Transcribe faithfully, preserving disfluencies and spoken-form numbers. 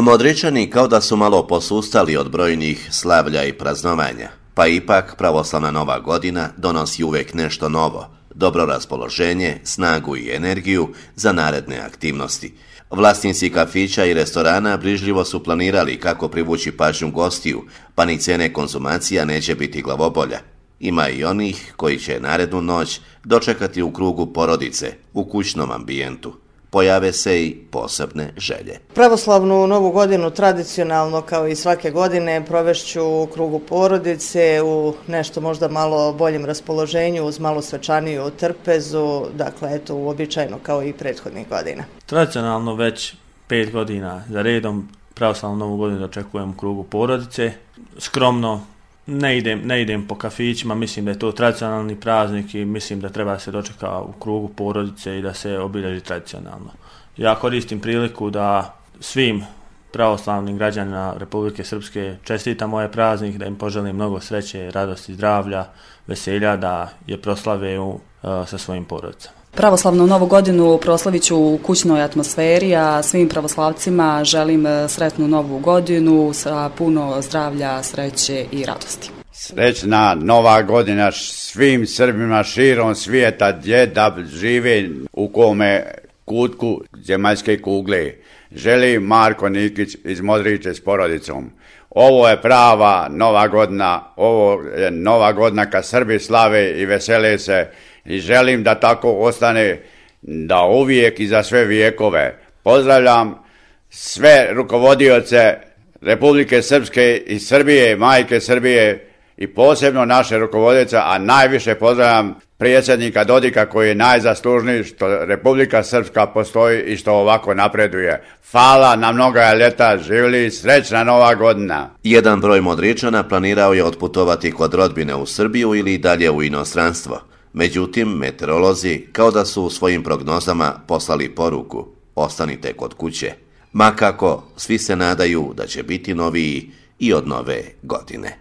Modričani kao da su malo posustali od brojnih slavlja i praznovanja, pa ipak pravoslavna nova godina donosi uvijek nešto novo, dobro raspoloženje, snagu i energiju za naredne aktivnosti. Vlasnici kafića i restorana brižljivo su planirali kako privući pažnju gostiju, pa ni cijene konzumacija neće biti glavobolja. Ima i onih koji će narednu noć dočekati u krugu porodice, u kućnom ambijentu. Pojave se i posebne želje. Pravoslavnu novu godinu tradicionalno kao i svake godine provešću u krugu porodice, u nešto možda malo boljem raspoloženju, uz malo svečaniju trpezu, dakle eto uobičajeno kao i prethodnih godina. Tradicionalno već pet godina za redom pravoslavnu novu godinu dočekujem u krugu porodice. Skromno ne idem, ne idem po kafićima, mislim da je to tradicionalni praznik i mislim da treba se dočeka u krugu porodice i da se obilježi tradicionalno. Ja koristim priliku da svim pravoslavnim građanima Republike Srpske čestitam ovaj praznik, da im poželim mnogo sreće, radosti, zdravlja, veselja, da je proslave u, uh, sa svojim porodicama. Pravoslavnu novu godinu proslavit ću u kućnoj atmosferi, a svim pravoslavcima želim sretnu novu godinu sa puno zdravlja, sreće i radosti. Srećna nova godina svim Srbima širom svijeta gdje da žive u kome kutku zemaljske kugle. Želi Marko Nikić iz Modriče s porodicom. Ovo je prava nova godina, ovo je nova godina kad Srbi slave i vesele se i želim da tako ostane, da uvijek i za sve vijekove. Pozdravljam sve rukovodioce Republike Srpske i Srbije, majke Srbije i posebno naše rukovodioce, a najviše pozdravljam predsjednika Dodika koji je najzaslužniji što Republika Srpska postoji i što ovako napreduje. Hvala na mnoga ljeta, živjeli, srećna nova godina. Jedan broj Modričana planirao je otputovati kod rodbine u Srbiju ili dalje u inostranstvo. Međutim, meteorolozi kao da su u svojim prognozama poslali poruku: ostanite kod kuće. Ma kako, svi se nadaju da će biti noviji i od nove godine.